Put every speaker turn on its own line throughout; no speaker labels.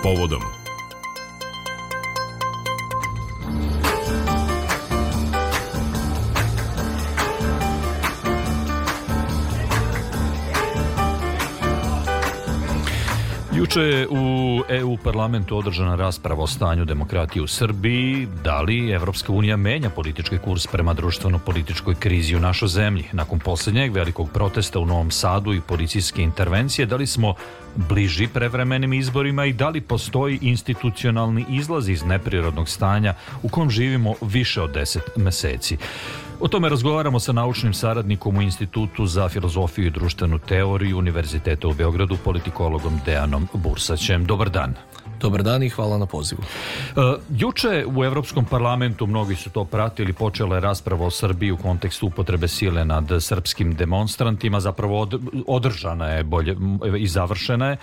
povodom. Juče je u EU parlamentu održana rasprava o stanju demokratije u Srbiji. Da li Evropska unija menja politički kurs prema društveno-političkoj krizi u našoj zemlji? Nakon posljednjeg velikog protesta u Novom Sadu i policijske intervencije, da li smo bliži prevremenim izborima i da li postoji institucionalni izlaz iz neprirodnog stanja u kojem živimo više od 10 meseci? O tome razgovaramo sa naučnim saradnikom u Institutu za filozofiju i društvenu teoriju Univerziteta u Beogradu, politikologom Dejanom Bursaćem. Dobar dan.
Dobar dan i hvala na pozivu.
Juče u Evropskom parlamentu, mnogi su to pratili, počela je rasprava o Srbiji u kontekstu upotrebe sile nad srpskim demonstrantima, zapravo održana je bolje i završena je.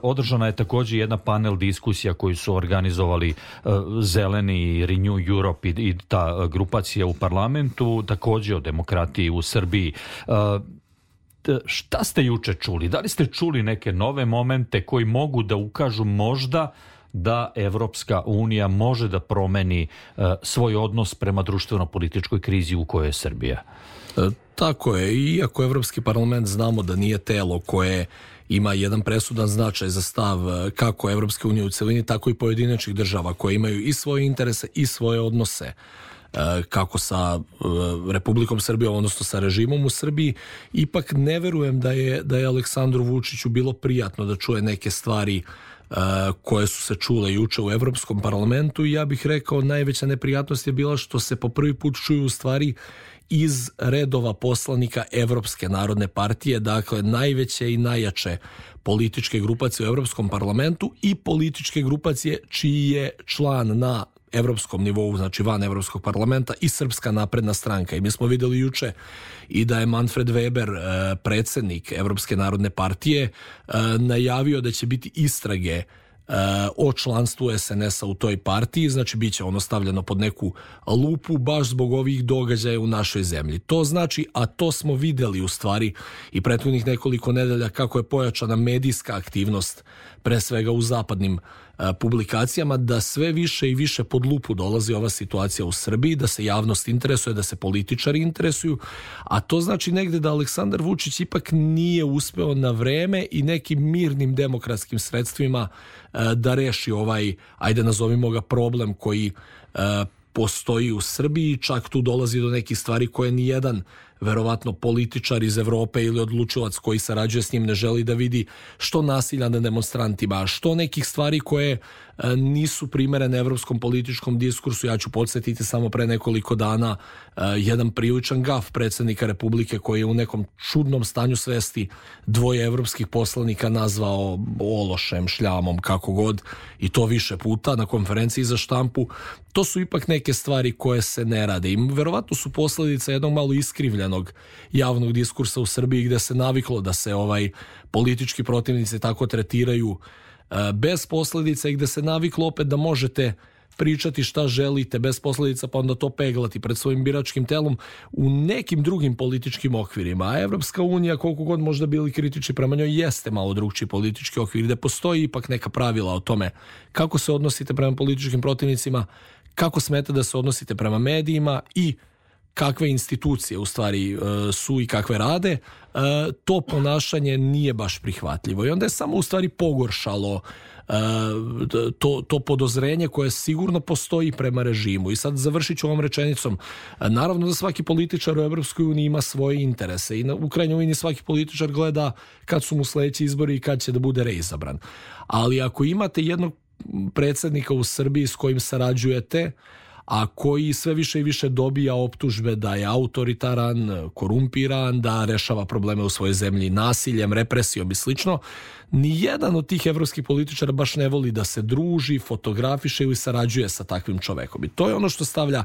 Održana je također jedna panel diskusija koju su organizovali Zeleni, Renew Europe i ta grupacija u parlamentu, također o demokratiji u Srbiji. Šta ste juče čuli? Da li ste čuli neke nove momente koji mogu da ukažu možda da Evropska unija može da promeni svoj odnos prema društveno-političkoj krizi u kojoj je Srbija?
Tako je. Iako Evropski parlament znamo da nije telo koje ima jedan presudan značaj za stav kako Evropske unije u celini, tako i pojedinačnih država koje imaju i svoje interese i svoje odnose kako sa Republikom Srbijom, odnosno sa režimom u Srbiji, ipak ne verujem da je Aleksandru Vučiću bilo prijatno da čuje neke stvari koje su se čule juče u Evropskom parlamentu i ja bih rekao najveća neprijatnost je bila što se po prvi put čuju stvari iz redova poslanika Evropske narodne partije, dakle najveće i najjače političke grupacije u Evropskom parlamentu i političke grupacije čiji je član na evropskom nivou, znači van Evropskog parlamenta i Srpska napredna stranka. I mi smo vidjeli juče i da je Manfred Weber, predsjednik Evropske narodne partije, najavio da će biti istrage o članstvu SNS-a u toj partiji, znači bit će ono stavljeno pod neku lupu baš zbog ovih događaja u našoj zemlji. To znači, a to smo vidjeli u stvari i prethodnih nekoliko nedelja kako je pojačana medijska aktivnost, pre svega u zapadnim publikacijama, da sve više i više pod lupu dolazi ova situacija u Srbiji, da se javnost interesuje, da se političari interesuju, a to znači negde da Aleksandar Vučić ipak nije uspeo na vreme i nekim mirnim demokratskim sredstvima da reši ovaj, ajde nazovimo ga, problem koji postoji u Srbiji. Čak tu dolazi do nekih stvari koje nijedan verovatno političar iz Evrope ili odlučilac koji sarađuje s njim ne želi da vidi, što nasilja na demonstrantima, što nekih stvari koje nisu primerene evropskom političkom diskursu. Ja ću podsjetiti samo pre nekoliko dana jedan priličan gaf predsjednika Republike koji je u nekom čudnom stanju svesti dvoje evropskih poslanika nazvao ološem, šljamom, kako god, i to više puta na konferenciji za štampu. To su ipak neke stvari koje se ne rade i verovatno su posljedica jednog malo iskrivljenog javnog diskursa u Srbiji gdje se naviklo da se politički protivnici tako tretiraju bez posljedica i gdje se naviklo opet da možete pričati šta želite bez posljedica pa onda to peglati pred svojim biračkim telom u nekim drugim političkim okvirima. A Evropska unija, koliko god možda bili kritični prema njoj, jeste malo drugčiji politički okvir gdje postoji ipak neka pravila o tome kako se odnosite prema političkim protivnicima, kako smete da se odnosite prema medijima i kakve institucije u stvari su i kakve rade. To ponašanje nije baš prihvatljivo i onda je samo u stvari pogoršalo to podozrenje koje sigurno postoji prema režimu. I sad završit ću ovom rečenicom. Naravno da svaki političar u Evropskoj uniji ima svoje interese i u krajnjoj liniji svaki političar gleda kad su mu sljedeći izbori i kad će da bude reizabran. Ali ako imate jednog predsjednika u Srbiji s kojim sarađujete, a koji sve više i više dobija optužbe da je autoritaran, korumpiran, da rešava probleme u svojoj zemlji nasiljem, represijom i slično, nijedan od tih evropskih političara baš ne voli da se druži, fotografiše ili sarađuje sa takvim čovekom. I to je ono što stavlja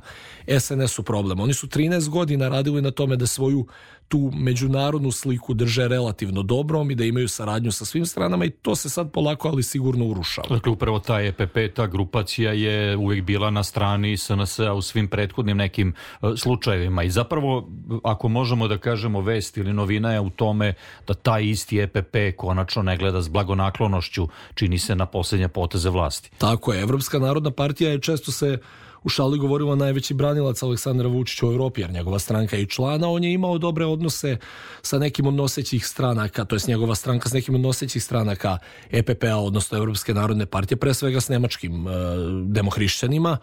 SNS u problem. Oni su 13 godina radili na tome da svoju tu međunarodnu sliku drže relativno dobrom i da imaju saradnju sa svim stranama i to se sad polako ali sigurno urušava.
Dakle, upravo ta EPP, ta grupacija je uvijek bila na strani SNS-a u svim prethodnim nekim slučajevima. I zapravo, ako možemo da kažemo vest ili novina je u tome da taj isti EPP konačno ne gleda s blagonaklonošću, čini se, na posljednje poteze vlasti.
Tako je, Evropska narodna partija je često se u šali govorila najveći branilac Aleksandra Vučića u Evropi, jer njegova stranka je i člana, on je imao dobre odnose sa nekim od nosećih stranaka, to jest njegova stranka s nekim od nosećih stranaka EPP-a, odnosno Evropske narodne partije, pre svega s nemačkim demohrišćanima.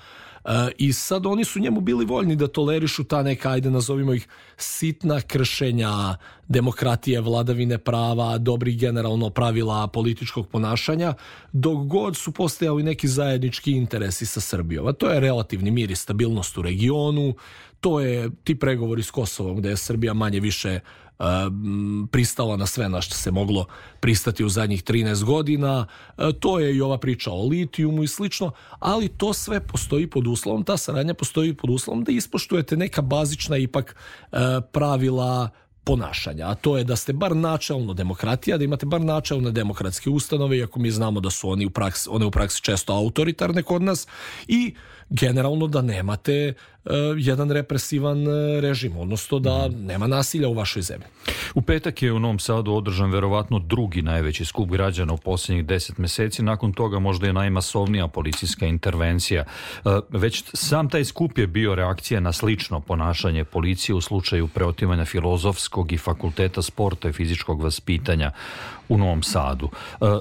I sad oni su njemu bili voljni da tolerišu ta neka, ajde nazovimo ih, sitna kršenja demokratije, vladavine prava, dobrih generalno pravila političkog ponašanja, dok god su postojali neki zajednički interesi sa Srbijom. A to je relativni mir i stabilnost u regionu, to je ti pregovori s Kosovom gde je Srbija manje više pristala na sve na što se moglo pristati u zadnjih 13 godina. To je i ova priča o litijumu i slično, ali to sve postoji pod uslovom, ta saradnja postoji pod uslovom da ispoštujete neka bazična ipak pravila ponašanja, a to je da ste bar načelno demokratija, da imate bar načelne demokratske ustanove, iako mi znamo da su one u praksi često autoritarne kod nas, i generalno da nemate jedan represivan režim, odnosno da nema nasilja u vašoj zemlji.
U petak je u Novom Sadu održan verovatno drugi najveći skup građana u posljednjih 10 meseci, nakon toga možda je najmasovnija policijska intervencija. Već sam taj skup je bio reakcija na slično ponašanje policije u slučaju preotimanja Filozofskog i Fakulteta sporta i fizičkog vaspitanja u Novom Sadu.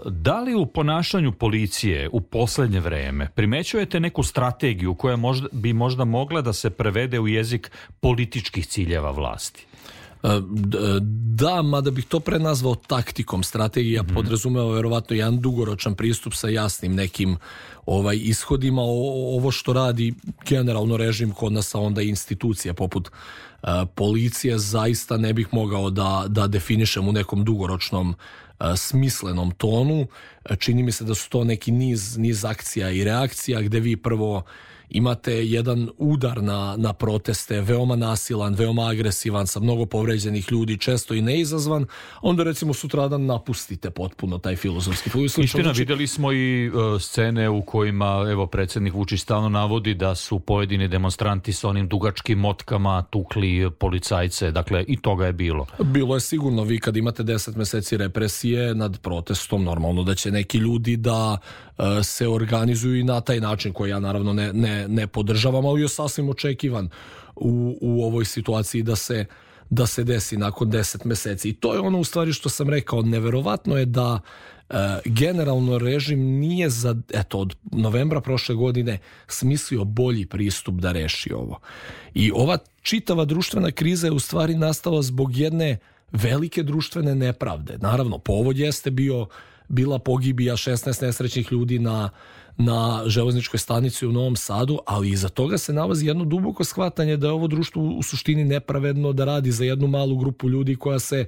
Da li u ponašanju policije u posljednje vreme primećujete neku strategiju koja bi možda mogla da se prevede u jezik političkih ciljeva vlasti?
Da, mada bih to prenazvao taktikom. Strategija podrazumeva verovatno jedan dugoročan pristup sa jasnim nekim ishodima. Ovo što radi generalno režim kod nas, a onda institucija poput policije, zaista ne bih mogao da definišem u nekom dugoročnom smislenom tonu. Čini mi se da su to neki niz akcija i reakcija gde vi prvo imate jedan udar na proteste, veoma nasilan, veoma agresivan, sa mnogo povređenih ljudi, često i neizazvan, onda recimo sutradan napustite potpuno taj Filozofski fakultet.
Istina, vidjeli smo i scene u kojima, evo, predsjednik Vučić stalno navodi da su pojedini demonstranti sa onim dugačkim motkama tukli policajce, dakle i toga je bilo. Bilo
je sigurno. Vi kad imate 10 meseci represije nad protestom, normalno da će neki ljudi da se organizuju i na taj način, koji ja naravno ne podržavam, ali je sasvim očekivan u ovoj situaciji da se desi nakon 10 meseci. I to je ono u stvari što sam rekao, neverovatno je da generalno režim nije od novembra prošle godine smislio bolji pristup da reši ovo. I ova čitava društvena kriza je u stvari nastala zbog jedne velike društvene nepravde. Naravno, povod jeste bila pogibija 16 nesrećnih ljudi na železničkoj stanici u Novom Sadu, ali iza toga se nalazi jedno duboko shvatanje da je ovo društvo u suštini nepravedno, da radi za jednu malu grupu ljudi koja se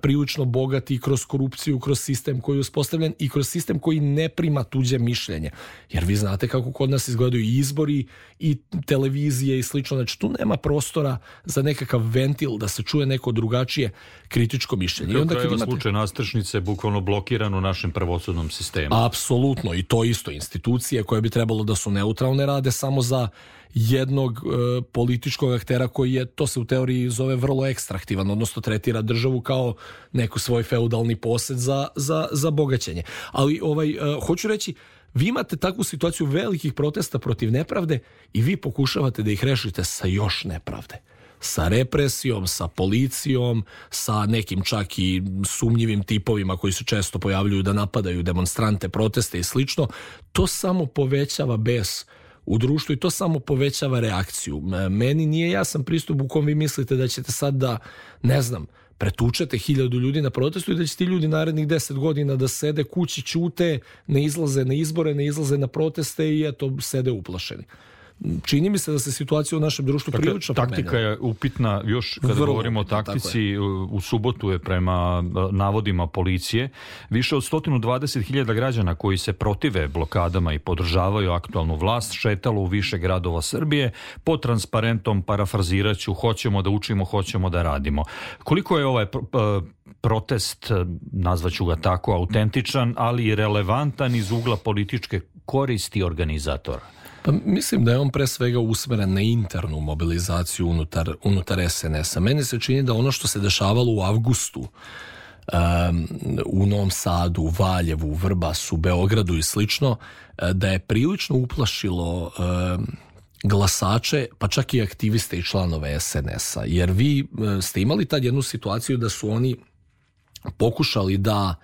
prilično bogati kroz korupciju, kroz sistem koji je uspostavljen i kroz sistem koji ne prima tuđe mišljenje. Jer vi znate kako kod nas izgledaju i izbori i televizije i slično. Znači tu nema prostora za nekakav ventil da se čuje neko drugačije kritičko mišljenje. I onda
kad imate slučaj nastrešnice bukvalno blokiran u našem pravosudnom sistemu.
Apsolutno, i to isto. Institucije koje bi trebalo da su neutralne rade samo za jednog političkog aktera koji je, to se u teoriji zove, vrlo ekstraktivan, odnosno tretira državu kao neko svoj feudalni posed za bogaćenje. Ali hoću reći, vi imate takvu situaciju velikih protesta protiv nepravde i vi pokušavate da ih rešite sa još nepravde. Sa represijom, sa policijom, sa nekim čak i sumnjivim tipovima koji se često pojavljuju da napadaju demonstrante, proteste i slično. To samo povećava bes u društvu i to samo povećava reakciju. Meni nije jasan pristup u kom vi mislite da ćete sad da, ne znam, pretučete 1000 ljudi na protestu i da će ti ljudi narednih 10 godina da sede kući, ćute, ne izlaze na izbore, ne izlaze na proteste i eto, sede uplašeni. Čini mi se da se situacija u našem društvu prilično promenila.
Taktika je upitna, još kada govorimo o taktici, u subotu je prema navodima policije više od 120.000 građana koji se protive blokadama i podržavaju aktualnu vlast šetalo u više gradova Srbije pod transparentom, parafraziraću, hoćemo da učimo, hoćemo da radimo. Koliko je protest, nazvaću ga tako, autentičan, ali i relevantan iz ugla političke koristi organizatora?
Pa mislim da je on pre svega usmeren na internu mobilizaciju unutar SNS-a. Meni se čini da ono što se dešavalo u avgustu u Novom Sadu, Valjevu, Vrbasu, Beogradu i slično, da je prilično uplašilo glasače, pa čak i aktiviste i članove SNS-a. Jer vi ste imali tad jednu situaciju da su oni pokušali da,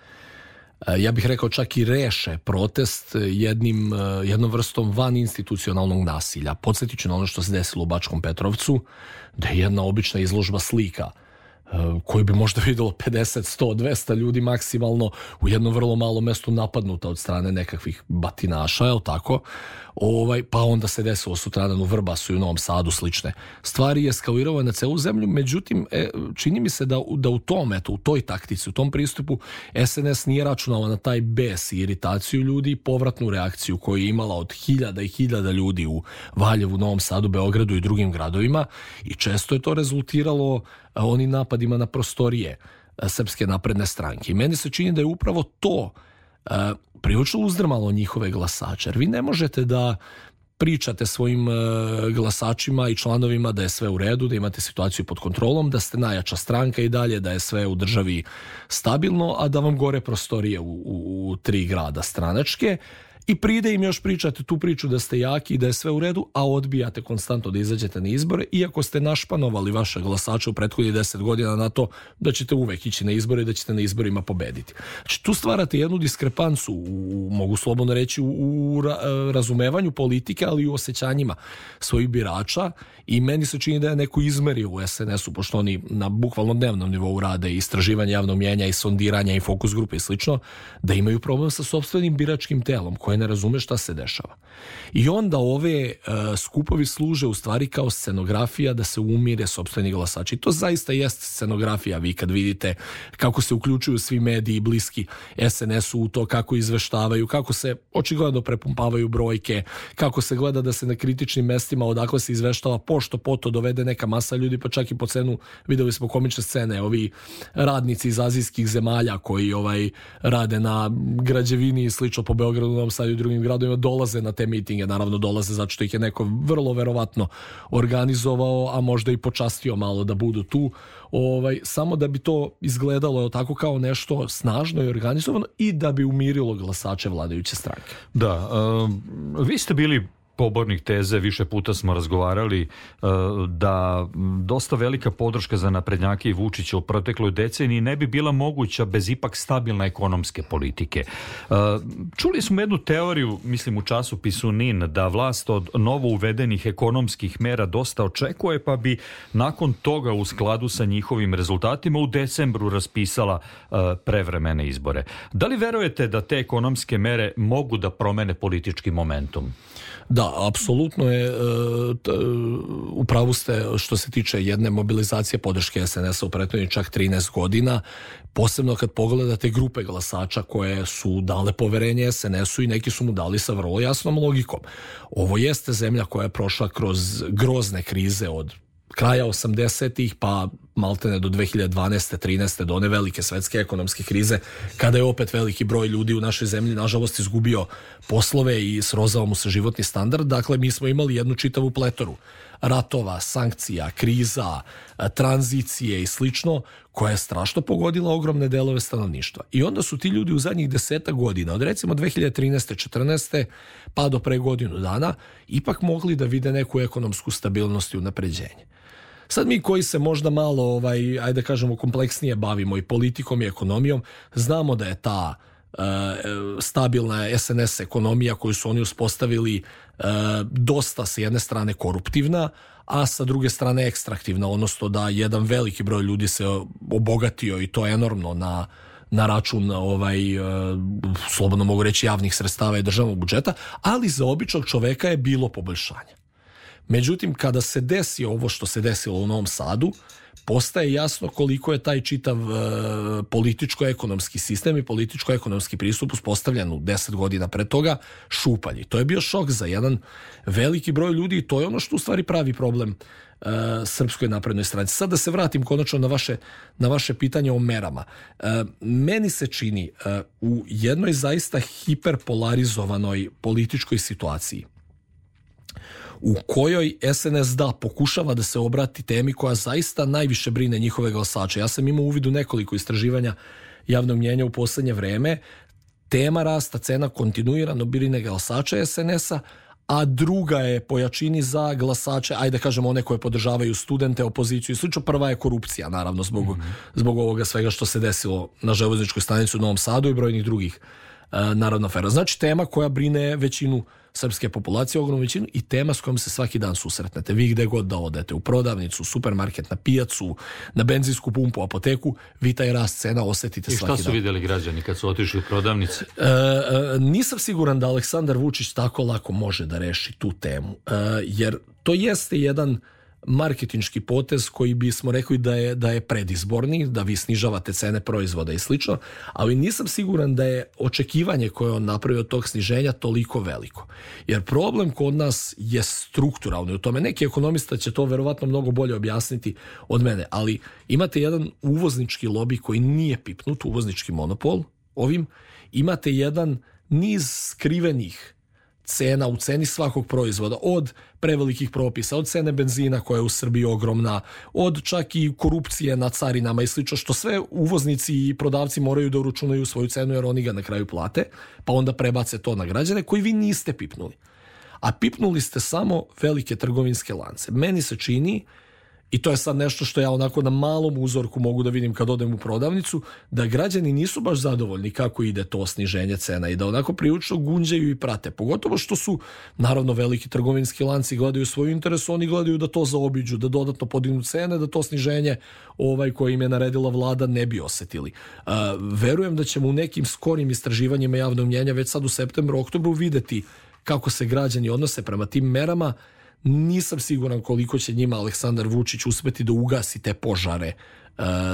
ja bih rekao, čak i reše protest jednom vrstom vaninstitucionalnog nasilja. Podsjetit ću na ono što se desilo u Bačkom Petrovcu, da je jedna obična izložba slika koju bi možda videlo 50, 100, 200 ljudi maksimalno u jednom vrlo malom mestu napadnuta od strane nekakvih batinaša, je li tako? Pa onda se desilo sutradan u Vrbasu i u Novom Sadu slične stvari, je eskalirao na celu zemlju. Međutim, čini mi se da u toj taktici, u tom pristupu SNS nije računala na taj bes i iritaciju ljudi i povratnu reakciju koju je imala od hiljada i hiljada ljudi u Valjevu, Novom Sadu, Beogradu i drugim gradovima, i često je to rezultiralo onim napadima na prostorije Srpske napredne stranke. I meni se čini da je upravo to prilično uzdrmalo njihove glasače. Jer vi ne možete da pričate svojim glasačima i članovima da je sve u redu, da imate situaciju pod kontrolom, da ste najjača stranka i dalje, da je sve u državi stabilno, a da vam gore prostorije u 3 grada stranačke, i pride im još pričate tu priču da ste jaki i da je sve u redu, a odbijate konstantno da izađete na izbore, iako ste našpanovali vaše glasače u prethodnih 10 godina na to da ćete uvek ići na izbore i da ćete na izborima pobediti. Znači, tu stvarate jednu diskrepancu, mogu slobodno reći, u razumevanju politike, ali i u osjećanjima svojih birača, i meni se čini da je neko izmerio u SNS-u, pošto oni na bukvalno dnevnom nivou rade istraživanje javnog mnijenja i sondiranja i fokus grupe i slično, da imaju problem sa sopstvenim biračkim telom koje ne razume šta se dešava. I onda ove skupovi služe u stvari kao scenografija da se umire sopstveni glasači. I to zaista jest scenografija. Vi kad vidite kako se uključuju svi mediji bliski SNS-u u to, kako izveštavaju, kako se očigledno prepumpavaju brojke, kako se gleda da se na kritičnim mestima odakle se izveštava pošto poto dovede neka masa ljudi, pa čak i po cenu, videli smo komične scene, ovi radnici iz azijskih zemalja koji rade na građevini i slično po Beogradu, Novom Sadu i drugim gradovima, dolaze na te mitinge. Naravno dolaze zato što ih je neko vrlo verovatno organizovao, a možda i počastio malo da budu tu, samo da bi to izgledalo tako kao nešto snažno i organizovano i da bi umirilo glasače vladajuće stranke.
Da, vi ste bili pobornik teze, više puta smo razgovarali, da dosta velika podrška za naprednjake i Vučića u protekloj deceniji ne bi bila moguća bez ipak stabilne ekonomske politike. Čuli smo jednu teoriju, mislim u časopisu NIN, da vlast od novo uvedenih ekonomskih mera dosta očekuje, pa bi nakon toga u skladu sa njihovim rezultatima u decembru raspisala prevremene izbore. Da li verujete da te ekonomske mere mogu da promene politički momentum?
Da, apsolutno je, upravo ste što se tiče jedne mobilizacije podrške SNS-a u prethodnih čak 13 godina, posebno kad pogledate grupe glasača koje su dale poverenje SNS-u i neki su mu dali sa vrlo jasnom logikom. Ovo jeste zemlja koja je prošla kroz grozne krize od kraja 80-ih pa maltene do 2012. 13. do one velike svetske ekonomske krize, kada je opet veliki broj ljudi u našoj zemlji nažalost izgubio poslove i srozao mu se životni standard. Dakle, mi smo imali jednu čitavu pletoru ratova, sankcija, kriza, tranzicije i slično, koja je strašno pogodila ogromne delove stanovništva. I onda su ti ljudi u zadnjih 10 godina, od recimo 2013. 14. pa do pre godinu dana, ipak mogli da vide neku ekonomsku stabilnost i unapređenje. Sad mi koji se možda malo, ajde kažemo, kompleksnije bavimo i politikom i ekonomijom, znamo da je ta stabilna SNS ekonomija koju su oni uspostavili dosta sa jedne strane koruptivna, a sa druge strane ekstraktivna, odnosno da jedan veliki broj ljudi se obogatio i to enormno na račun slobodno mogu reći javnih sredstava i državnog budžeta, ali za običnog čoveka je bilo poboljšanja. Međutim, kada se desi ovo što se desilo u Novom Sadu, postaje jasno koliko je taj čitav političko-ekonomski sistem i političko-ekonomski pristup uspostavljen u 10 godina pre toga šupalji. To je bio šok za jedan veliki broj ljudi i to je ono što u stvari pravi problem Srpskoj naprednoj stranci. Sad da se vratim konačno na vaše pitanje o merama. Meni se čini u jednoj zaista hiperpolarizovanoj političkoj situaciji u kojoj SNS pokušava da se obrati temi koja zaista najviše brine njihove glasače. Ja sam imao uvid u nekoliko istraživanja javnog mnjenja u poslednje vreme. Tema rasta cena kontinuirano brine glasače SNS-a, a druga je po jačini za glasače, ajde kažemo one koje podržavaju studente, opoziciju i slično. Prva je korupcija, naravno, zbog ovoga svega što se desilo na železničkoj stanici u Novom Sadu i brojnih drugih naravno afera. Znači tema koja brine većinu srpske populacije, ogromnu većinu, i tema s kojom se svaki dan susretnete. Vi gde god da odete, u prodavnicu, supermarket, na pijacu, na benzinsku pumpu, apoteku, vi taj rast cena osetite svaki dan.
I šta su vidjeli građani kad su otišli u prodavnice?
Nisam siguran da Aleksandar Vučić tako lako može da reši tu temu, jer to jeste jedan marketinški potez koji bismo rekli da je predizborni, da vi snižavate cene proizvoda i slično, ali nisam siguran da je očekivanje koje on napravio od tog sniženja toliko veliko. Jer problem kod nas je strukturalni u tome. Neki ekonomista će to verovatno mnogo bolje objasniti od mene, ali imate jedan uvoznički lobi koji nije pipnut, uvoznički monopol ovim, imate jedan niz skrivenih cena u ceni svakog proizvoda, od prevelikih propisa, od cene benzina koja je u Srbiji ogromna, od čak i korupcije na carinama i slično, što sve uvoznici i prodavci moraju da uračunaju svoju cenu jer oni ga na kraju plate, pa onda prebace to na građane koji vi niste pipnuli. A pipnuli ste samo velike trgovinske lance. Meni se čini, i to je sad nešto što ja onako na malom uzorku mogu da vidim kad odem u prodavnicu, da građani nisu baš zadovoljni kako ide to sniženje cena i da onako prilično gunđaju i prate. Pogotovo što su, naravno, veliki trgovinski lanci gledaju svoj interes, oni gledaju da to zaobiđu, da dodatno podignu cene, da to sniženje koje im je naredila vlada ne bi osetili. Verujem da ćemo u nekim skorim istraživanjima javnog mnjenja već sad u septembru, oktobru videti kako se građani odnose prema tim merama. Nisam siguran koliko će njima Aleksandar Vučić uspeti da ugasi te požare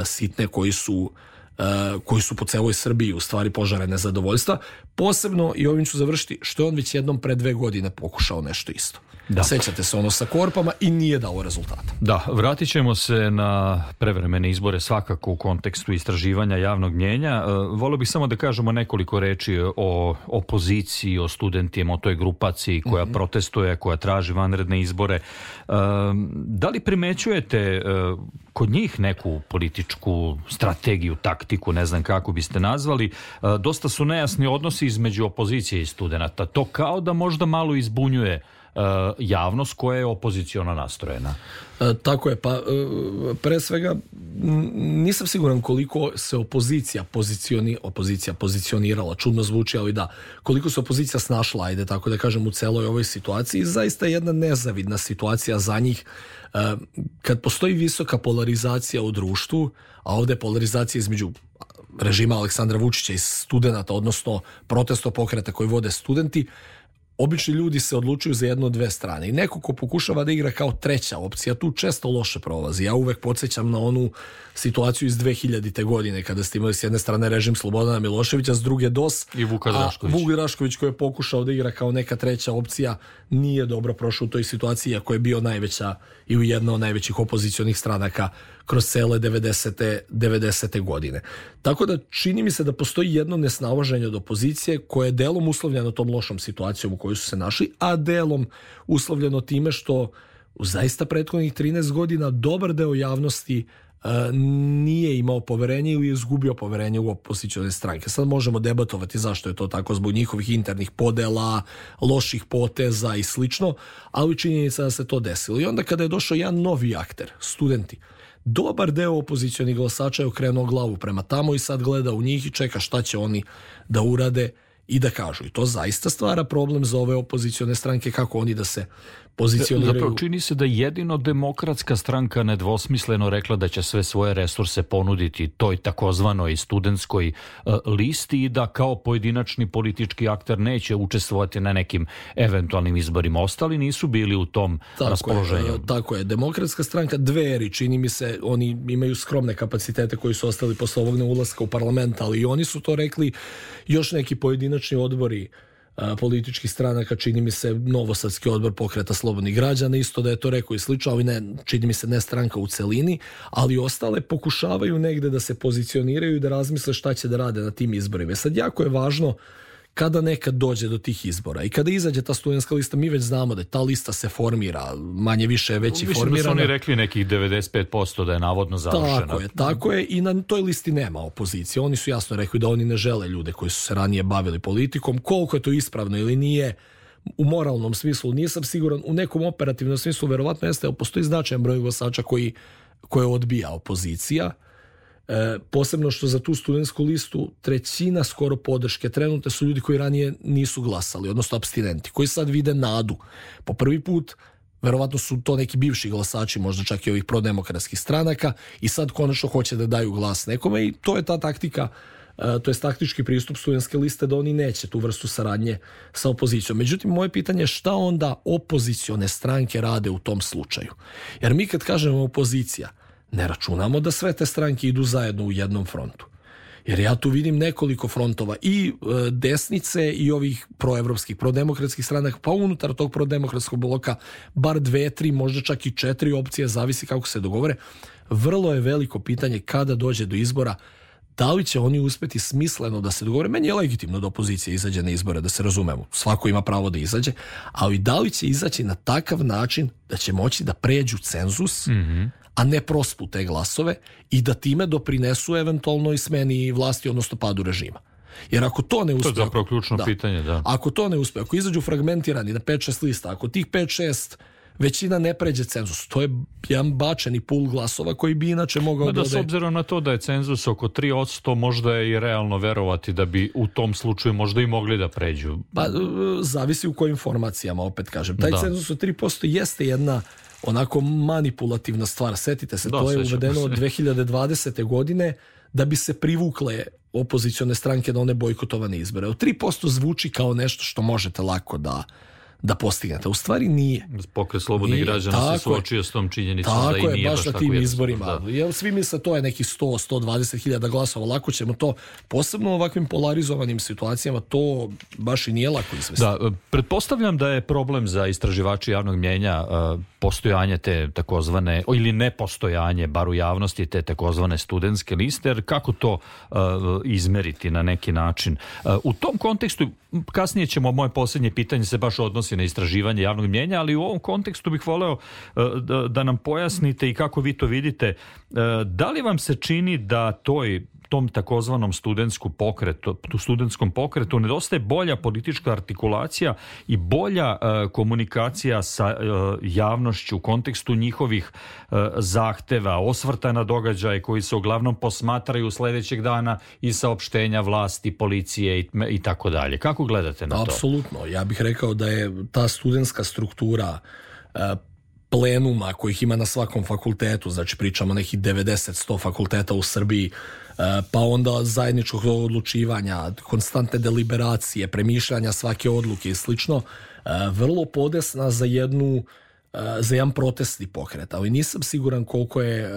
sitne koji su po celoj Srbiji, u stvari požare nezadovoljstva. Posebno, i ovim ću završiti, što je on već jednom pre 2 godine pokušao nešto isto. Da. Sećate se ono sa korpama i nije dao rezultata.
Da, vratit ćemo se na prevremene izbore svakako u kontekstu istraživanja javnog mnjenja. Volio bih samo da kažemo nekoliko reči o opoziciji, o studentima, o toj grupaciji koja protestuje, koja traži vanredne izbore. Da li primećujete kod njih neku političku strategiju, taktiku, ne znam kako biste nazvali? Dosta su nejasni odnosi između opozicije i studenata. To kao da možda malo izbunjuje javnost koja je opoziciono nastrojena.
Tako je, pa pre svega nisam siguran koliko se opozicija pozicionirala, čudno zvuči, ali da, koliko se opozicija snašla, ajde tako da kažem, u celoj ovoj situaciji. Zaista je jedna nezavidna situacija za njih. Kad postoji visoka polarizacija u društvu, a ovde je polarizacija između režima Aleksandra Vučića i studenata, odnosno protesto pokreta koji vode studenti, obični ljudi se odlučuju za jednu od dve strane i neko ko pokušava da igra kao treća opcija tu često loše prolazi. Ja uvek podsjećam na onu situaciju iz 2000. godine kada ste imali s jedne strane režim Slobodana Miloševića, s druge DOS,
i Vuk
Drašković koji je pokušao da igra kao neka treća opcija, nije dobro prošao u toj situaciji, iako je bio najveća i u jedna od najvećih opozicionih stranaka kroz cele 90. godine. Tako da čini mi se da postoji jedno nesnalaženje od opozicije koje je delom uslovljeno tom lošom situacijom u kojoj su se našli, a delom uslovljeno time što u zaista prethodnih 13 godina dobar deo javnosti nije imao poverenje ili je izgubio poverenje u opozicione stranke. Sad možemo debatovati zašto je to tako, zbog njihovih internih podela, loših poteza i slično, ali činjenica da se to desilo. I onda kada je došao jedan novi akter, studenti, dobar deo opozicionih glasača je okrenuo glavu prema tamo i sad gleda u njih i čeka šta će oni da urade i da kažu. I to zaista stvara problem za ove opozicione stranke, kako oni da se pozicioniraju.
Zapravo čini se da jedino Demokratska stranka nedvosmisleno rekla da će sve svoje resurse ponuditi toj takozvanoj studentskoj listi i da kao pojedinačni politički akter neće učestvovati na nekim eventualnim izborima. Ostali nisu bili u tom raspoloženju.
Tako je. Demokratska stranka, Dveri, čini mi se, oni imaju skromne kapacitete koji su ostali posle ovog neulaska u parlament, ali i oni su to rekli. Još neki pojedinačni odbori političkih stranaka, čini mi se Novosadski odbor Pokreta slobodnih građana isto da je to rekao i slično, ali ne, čini mi se ne stranka u celini, ali ostale pokušavaju negde da se pozicioniraju i da razmisle šta će da rade na tim izborima. Sad jako je važno kada nekad dođe do tih izbora i kada izađe ta studentska lista, mi već znamo da ta lista se formira, manje više je već i formirana.
Mislim da su oni rekli nekih 95% da je navodno završena.
Tako je i na toj listi nema opozicije. Oni su jasno rekli da oni ne žele ljude koji su se ranije bavili politikom. Koliko je to ispravno ili nije, u moralnom smislu nisam siguran, u nekom operativnom smislu verovatno jeste, ali postoji značajan broj glasača koje odbija opozicija. Posebno što za tu studentsku listu trećina skoro podrške trenutne su ljudi koji ranije nisu glasali, odnosno apstinenti, koji sad vide nadu. Po prvi put, verovatno su to neki bivši glasači, možda čak i ovih prodemokratskih stranaka, i sad konačno hoće da daju glas nekome i to je ta taktika, to je taktički pristup studentske liste da oni neće tu vrstu saradnje sa opozicijom. Međutim, moje pitanje je šta onda opozicione stranke rade u tom slučaju? Jer mi kad kažemo opozicija, ne računamo da sve te stranke idu zajedno u jednom frontu. Jer ja tu vidim nekoliko frontova i desnice i ovih proevropskih, prodemokratskih stranaka, pa unutar tog prodemokratskog bloka bar 2, 3, možda čak i 4 opcije, zavisi kako se dogovore. Vrlo je veliko pitanje kada dođe do izbora, da li će oni uspeti smisleno da se dogovore. Meni je legitimno da opozicija izađe na izbore, da se razumemo. Svako ima pravo da izađe, ali da li će izaći na takav način da će moći da pređu cenzus, a ne prospu te glasove i da time doprinesu eventualno i smeni vlasti, odnosno padu režima. Jer ako to ne uspe...
To je zapravo ključno pitanje, da.
Ako to ne uspe, ako izađu fragmentirani na 5-6 lista, ako tih 5-6 većina ne pređe cenzus, to je jedan bačeni pul glasova koji bi inače mogao
da s obzirom na to da je cenzus oko 3%, možda je i realno verovati da bi u tom slučaju možda i mogli da pređu.
Pa, zavisi u kojim formacijama, opet kažem. Taj cenzus od 3% jeste jedna onako manipulativna stvar. Setite se, to je uvedeno od 2020. godine da bi se privukle opozicione stranke na one bojkotovane izbore. Od 3% zvuči kao nešto što možete lako da postignete. U stvari nije.
Pokret slobodnih građana se suočio s tom činjenicom da i nije baš
na tim izborima. Jer svi misle to je nekih 100-120 hiljada glasova. Lako ćemo to, posebno u ovakvim polarizovanim situacijama, to baš i nije lako izvesti.
Da, pretpostavljam da je problem za istraživači javnog mnijenja postojanje te takozvane, ili nepostojanje, bar u javnosti, te takozvane studentske liste, jer kako to izmeriti na neki način? U tom kontekstu, kasnije ćemo, moje posljednje pitanje se baš odnosi na istraživanje javnog mnijenja, ali u ovom kontekstu bih voleo da nam pojasnite i kako vi to vidite. Da li vam se čini da tom takozvanom studentskom pokretu nedostaje bolja politička artikulacija i bolja komunikacija sa javnošću u kontekstu njihovih zahteva, osvrta na događaje koji se uglavnom posmatraju sledećeg dana i saopštenja vlasti, policije i tako dalje? Kako gledate na to?
Apsolutno. Ja bih rekao da je ta studentska struktura plenuma kojih ima na svakom fakultetu, znači pričamo nekih 90-100 fakulteta u Srbiji, pa onda zajedničkog odlučivanja, konstantne deliberacije, premišljanja svake odluke i slično, vrlo podesna za jedan protestni pokret, ali nisam siguran koliko je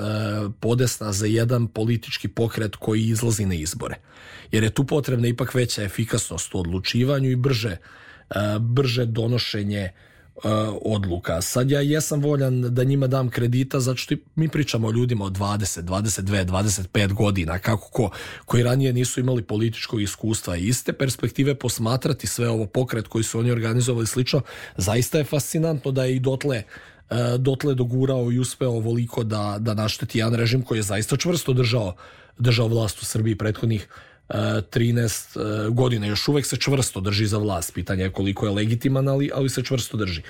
podesna za jedan politički pokret koji izlazi na izbore. Jer je tu potrebna ipak veća efikasnost u odlučivanju i brže donošenje odluka. Sad ja jesam voljan da njima dam kredita, zato što mi pričamo o ljudima od 20, 22, 25 godina, koji ranije nisu imali političkog iskustva i iste perspektive posmatrati sve ovo pokret koji su oni organizovali slično. Zaista je fascinantno da je i dotle dogurao i uspeo ovoliko da našteti jedan režim koji je zaista čvrsto držao vlast u Srbiji prethodnih 13 godina. Još uvek se čvrsto drži za vlast. Pitanje je koliko je legitiman, ali se čvrsto drži.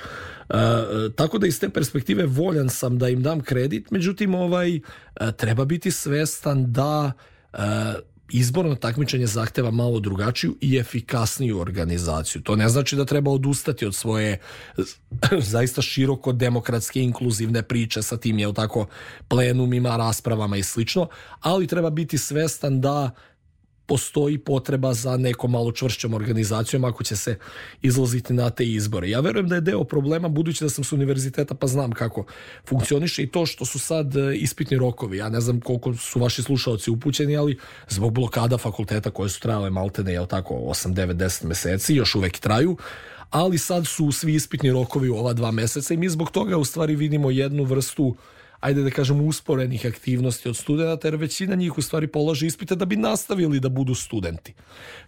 Tako da iz te perspektive voljan sam da im dam kredit, međutim treba biti svestan da izborno takmičenje zahteva malo drugačiju i efikasniju organizaciju. To ne znači da treba odustati od svoje zaista široko demokratske inkluzivne priče sa tim, je tako, plenumima, raspravama i slično, ali treba biti svestan da postoji potreba za nekom malo čvršćom organizacijom ako će se izlaziti na te izbore. Ja verujem da je deo problema, budući da sam s univerziteta pa znam kako funkcioniše, i to što su sad ispitni rokovi. Ja ne znam koliko su vaši slušaoci upućeni, ali zbog blokada fakulteta koje su trajale maltene, je tako, 8, 9, 10 meseci, još uvek traju, ali sad su svi ispitni rokovi u ova 2 meseca i mi zbog toga u stvari vidimo jednu vrstu, ajde da kažemo, usporenih aktivnosti od studenta, jer većina njih u stvari polaže ispite da bi nastavili da budu studenti.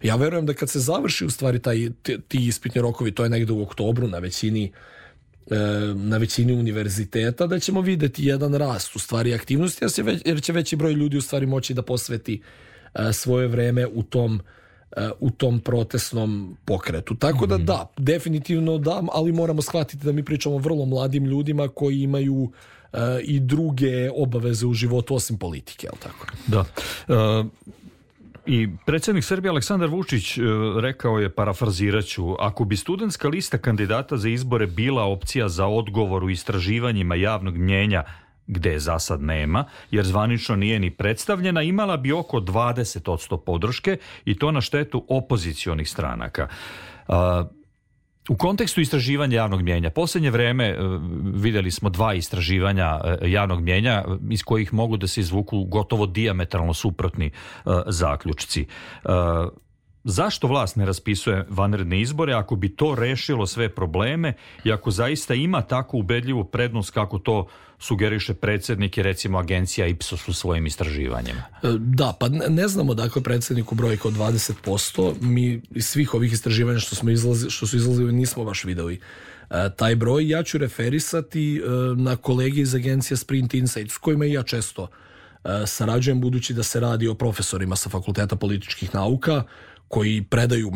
Ja verujem da kad se završi u stvari ti ispitni rokovi, to je negde u oktobru na većini univerziteta, da ćemo videti jedan rast u stvari aktivnosti, jer će veći broj ljudi u stvari moći da posveti svoje vreme u tom protestnom pokretu. Tako da, definitivno da, ali moramo shvatiti da mi pričamo o vrlo mladim ljudima koji imaju i druge obaveze u životu osim politike, je li tako?
Da. I predsjednik Srbije Aleksandar Vučić rekao je, parafraziraću, ako bi studentska lista kandidata za izbore bila opcija za odgovor u istraživanjima javnog mnjenja, gde za sad nema, jer zvanično nije ni predstavljena, imala bi oko 20% podrške i to na štetu opozicionih stranaka. U kontekstu istraživanja javnog mnjenja, posljednje vreme vidjeli smo 2 istraživanja javnog mnjenja iz kojih mogu da se izvuku gotovo dijametralno suprotni zaključci. Zašto vlast ne raspisuje vanredne izbore ako bi to rešilo sve probleme i ako zaista ima tako ubedljivu prednost kako to sugeriše predsjednik i recimo agencija Ipsos u svojim istraživanjima?
Da, pa ne znamo dakle predsjedniku brojka od 20%. Mi iz svih ovih istraživanja što su izlazili nismo baš videli taj broj. Ja ću referisati na kolege iz agencije Sprint Insight s kojima i ja često sarađujem, budući da se radi o profesorima sa Fakulteta političkih nauka koji predaju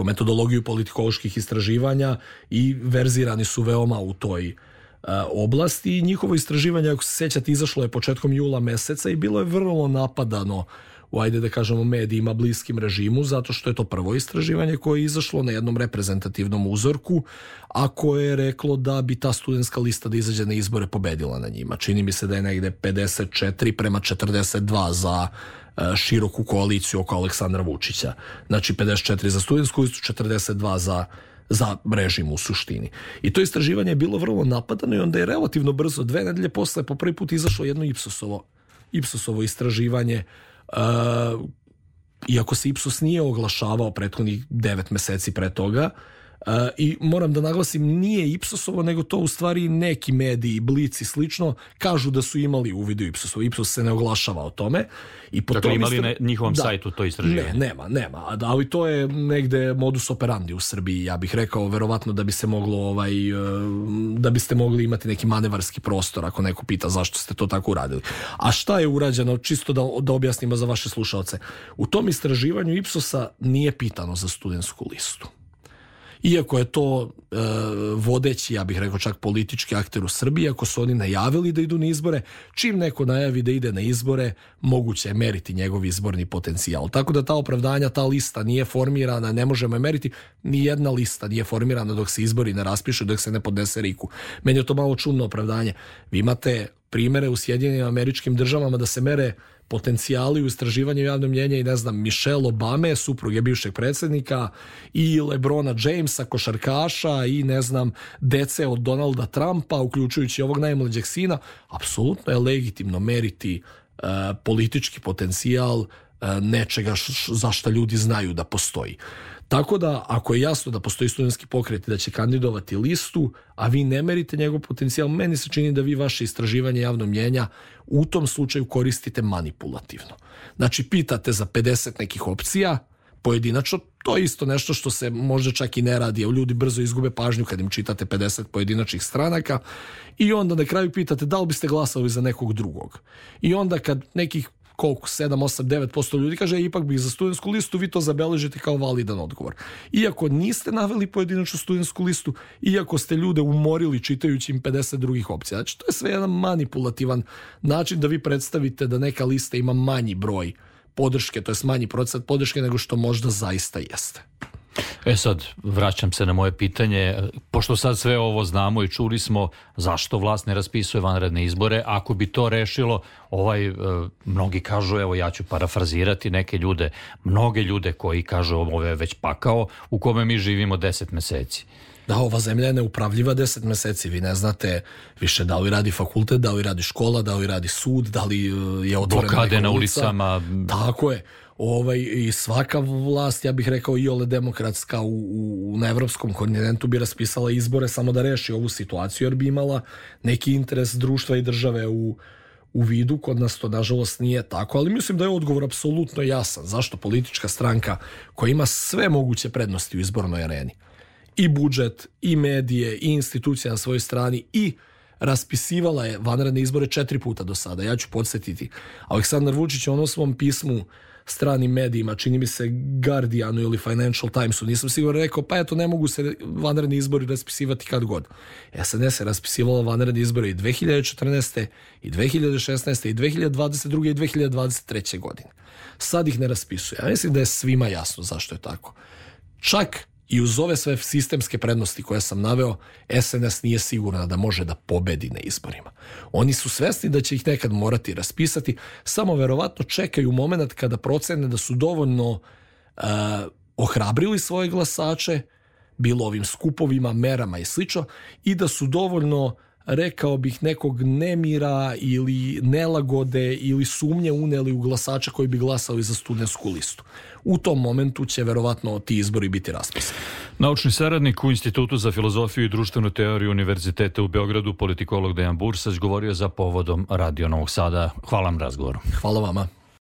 metodologiju politikoloških istraživanja i verzirani su veoma u toj oblasti. I njihovo istraživanje, ako se sjećate, izašlo je početkom jula meseca i bilo je vrlo napadano u, ajde da kažemo, medijima bliskim režimu, zato što je to prvo istraživanje koje je izašlo na jednom reprezentativnom uzorku, a koje je reklo da bi ta studentska lista da izađe na izbore pobedila na njima. Čini mi se da je negde 54:42 za široku koaliciju oko Aleksandra Vučića. Znači 54 za studentsku listu, 42 za režim u suštini. I to istraživanje je bilo vrlo napadano i onda je relativno brzo, 2 nedelje posle, po prvi put izašlo jedno Ipsosovo istraživanje, iako se Ipsos nije oglašavao prethodnih 9 meseci pre toga. I moram da naglasim, nije Ipsosovo, nego to u stvari neki mediji, Blic i slično, kažu da su imali uvid u Ipsosovo. Ipsos se ne oglašava o tome. I po
dakle, imali na njihovom sajtu to istraživanje?
Nema. Ali to je negde modus operandi u Srbiji, ja bih rekao, verovatno da bi se moglo da biste mogli imati neki manevarski prostor ako neko pita zašto ste to tako uradili. A šta je urađeno, čisto da objasnimo za vaše slušaoce. U tom istraživanju Ipsosa nije pitano za studentsku listu. Iako je to vodeći, ja bih rekao čak politički akter u Srbiji, ako su oni najavili da idu na izbore, čim neko najavi da ide na izbore, moguće je meriti njegov izborni potencijal. Tako da ta opravdanja, ta lista nije formirana, ne možemo je meriti, ni jedna lista nije formirana dok se izbori ne raspišu, dok se ne podnese RIK-u. Meni je to malo čudno opravdanje. Vi imate primere u Sjedinjenim Američkim Državama da se mere potencijali u istraživanju javnog mnjenja i Michelle Obame, supruge bivšeg predsjednika, i LeBrona Jamesa, košarkaša, i dece od Donalda Trumpa, uključujući ovog najmlađeg sina. Apsolutno je legitimno meriti politički potencijal nečega za što ljudi znaju da postoji. Tako da, ako je jasno da postoji studentski pokret i da će kandidovati listu, a vi ne merite njegov potencijal, meni se čini da vi vaše istraživanje javnog mnjenja u tom slučaju koristite manipulativno. Znači, pitate za 50 nekih opcija, pojedinačno, to je isto nešto što se možda čak i ne radi, jer ljudi brzo izgube pažnju kad im čitate 50 pojedinačnih stranaka, i onda na kraju pitate da li biste glasali za nekog drugog. I onda kad nekih koliko, 7, 8, 9% ljudi kaže ipak bih za studentsku listu, vi to zabeležite kao validan odgovor. Iako niste naveli pojedinačnu studentsku listu, iako ste ljude umorili čitajući im 50 drugih opcija. Znači, to je sve jedan manipulativan način da vi predstavite da neka lista ima manji broj podrške, to je manji procenat podrške nego što možda zaista jeste.
Sad, vraćam se na moje pitanje. Pošto sad sve ovo znamo i čuli smo, zašto vlast ne raspisuje vanredne izbore? Ako bi to rešilo, mnogi kažu, evo ja ću parafrazirati neke ljude, mnoge ljude koji kažu ovo je već pakao u kome mi živimo 10 meseci.
Da, ova zemlja je neupravljiva 10 meseci. Vi ne znate više da li radi fakultet, da li radi škola, da li radi sud, da li je otvorena
blokade
neka
na
ulica.
Ulicama.
Tako je. I svaka vlast, ja bih rekao iole demokratska na evropskom kontinentu bi raspisala izbore samo da reši ovu situaciju, jer bi imala neki interes društva i države u vidu. Kod nas to nažalost nije tako, ali mislim da je odgovor apsolutno jasan. Zašto politička stranka koja ima sve moguće prednosti u izbornoj areni, i budžet, i medije, i institucije na svojoj strani, i raspisivala je vanredne izbore 4 puta do sada. Ja ću podsjetiti. Aleksandar Vučić je u svom pismu stranim medijima, čini mi se Guardianu ili Financial Timesu, nisam sigurno rekao, pa eto, ne mogu se vanredni izbori raspisivati kad god. SNS je raspisivala vanredni izbori i 2014. i 2016. i 2022. i 2023. godine. Sad ih ne raspisuje. Ja mislim da je svima jasno zašto je tako. Čak i uz ove sve sistemske prednosti koje sam naveo, SNS nije sigurna da može da pobedi na izborima. Oni su svesni da će ih nekad morati raspisati, samo verovatno čekaju moment kada procene da su dovoljno ohrabrili svoje glasače, bilo ovim skupovima, merama i slično, i da su dovoljno, rekao bih, nekog nemira ili nelagode ili sumnje uneli u glasača koji bi glasali za studentsku listu. U tom momentu će verovatno ti izbori biti raspisani.
Naučni saradnik u Institutu za filozofiju i društvenu teoriju Univerziteta u Beogradu, politikolog Dejan Bursać, govorio za povodom Radio Novog Sada. Hvala vam razgovoru.
Hvala vama.